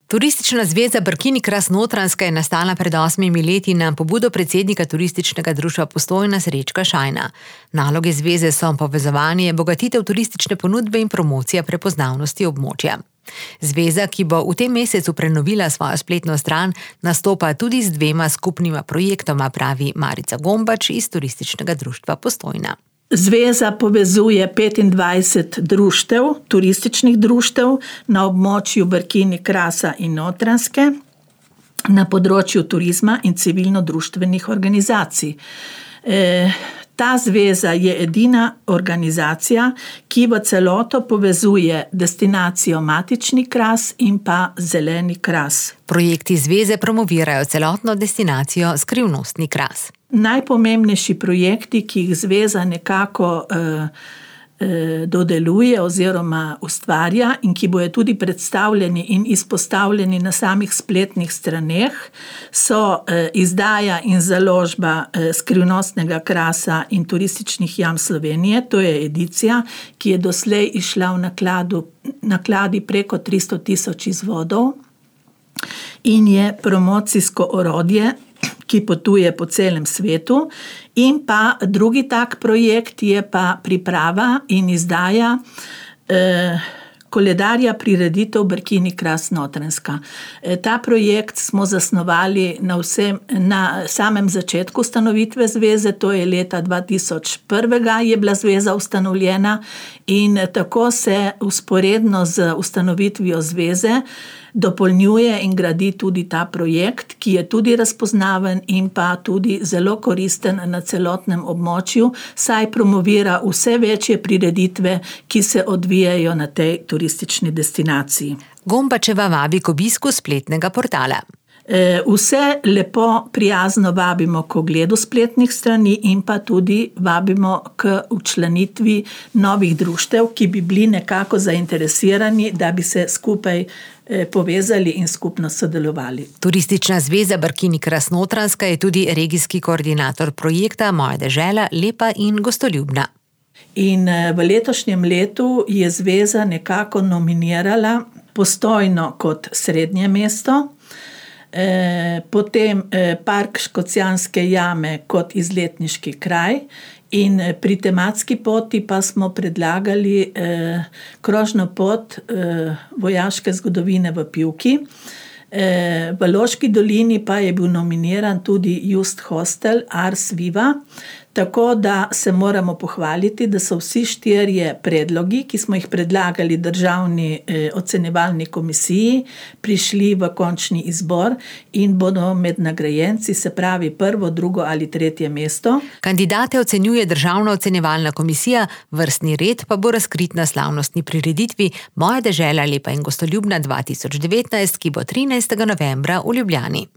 Turistična zveza Brkini kras Notranjska je nastala pred 8 leti na pobudo predsednika Turističnega društva Postojna Srečka Šajna. Naloge zveze so povezovanje, bogatitev turistične ponudbe in promocija prepoznavnosti območja. Zveza, ki bo v tem mesecu prenovila svojo spletno stran, nastopa tudi z 2 skupnima projektoma, pravi Marica Gombač iz Turističnega društva Postojna. Zveza povezuje 25 društev, turističnih društev na območju Brkini, Krasa in Notranjske na področju turizma in civilno-društvenih organizacij. Ta zveza je edina organizacija, ki v celoto povezuje destinacijo Matični Kras in pa Zeleni Kras. Projekti zveze promovirajo celotno destinacijo Skrivnostni Kras. Najpomembnejši projekti, ki jih zveza nekako dodeluje oziroma ustvarja in ki bojo tudi predstavljeni in izpostavljeni na samih spletnih straneh, so izdaja in založba Skrivnostnega krasa in turističnih jam Slovenije. To je edicija, ki je doslej išla v nakladi preko 300 000 izvodov in je promocijsko orodje, ki potuje po celem svetu. In pa drugi tak projekt je pa priprava in izdaja koledarja prireditev Brkini kras Notranjska. Ta projekt smo zasnovali na samem začetku ustanovitve zveze, to je leta 2001 je bila zveza ustanovljena in tako se vzporedno z ustanovitvijo zveze dopolnjuje in gradi tudi ta projekt, ki je tudi razpoznaven in pa tudi zelo koristen na celotnem območju, saj promovira vse večje prireditve, ki se odvijajo na tej turistični destinaciji. Gombačeva vabi k obisku spletnega portala. Vse lepo, prijazno vabimo k ogledu spletnih strani in pa tudi vabimo k včlanitvi novih društev, ki bi bili nekako zainteresirani, da bi se skupaj povezali in skupno sodelovali. Turistična zveza Brkini kras Notranjska je tudi regijski koordinator projekta Moja dežela, lepa in gostoljubna. In v letošnjem letu je zveza nekako nominirala Postojno kot srednje mesto, potem Park Škocjanske jame kot izletniški kraj in pri tematski poti pa smo predlagali krožno pot vojaške zgodovine v Pivki. V Loški dolini pa je bil nominiran tudi Just Hostel Ars Viva, tako da se moramo pohvaliti, da so vsi 4 predlogi, ki smo jih predlagali Državni ocenjevalni komisiji, prišli v končni izbor in bodo med nagrajenci, se pravi 1., 2. ali 3. mesto. Kandidate ocenjuje Državna ocenjevalna komisija, vrstni red pa bo razkrit na slavnostni prireditvi Moja dežela, lepa in gostoljubna 2019, ki bo 13. novembra v Ljubljani.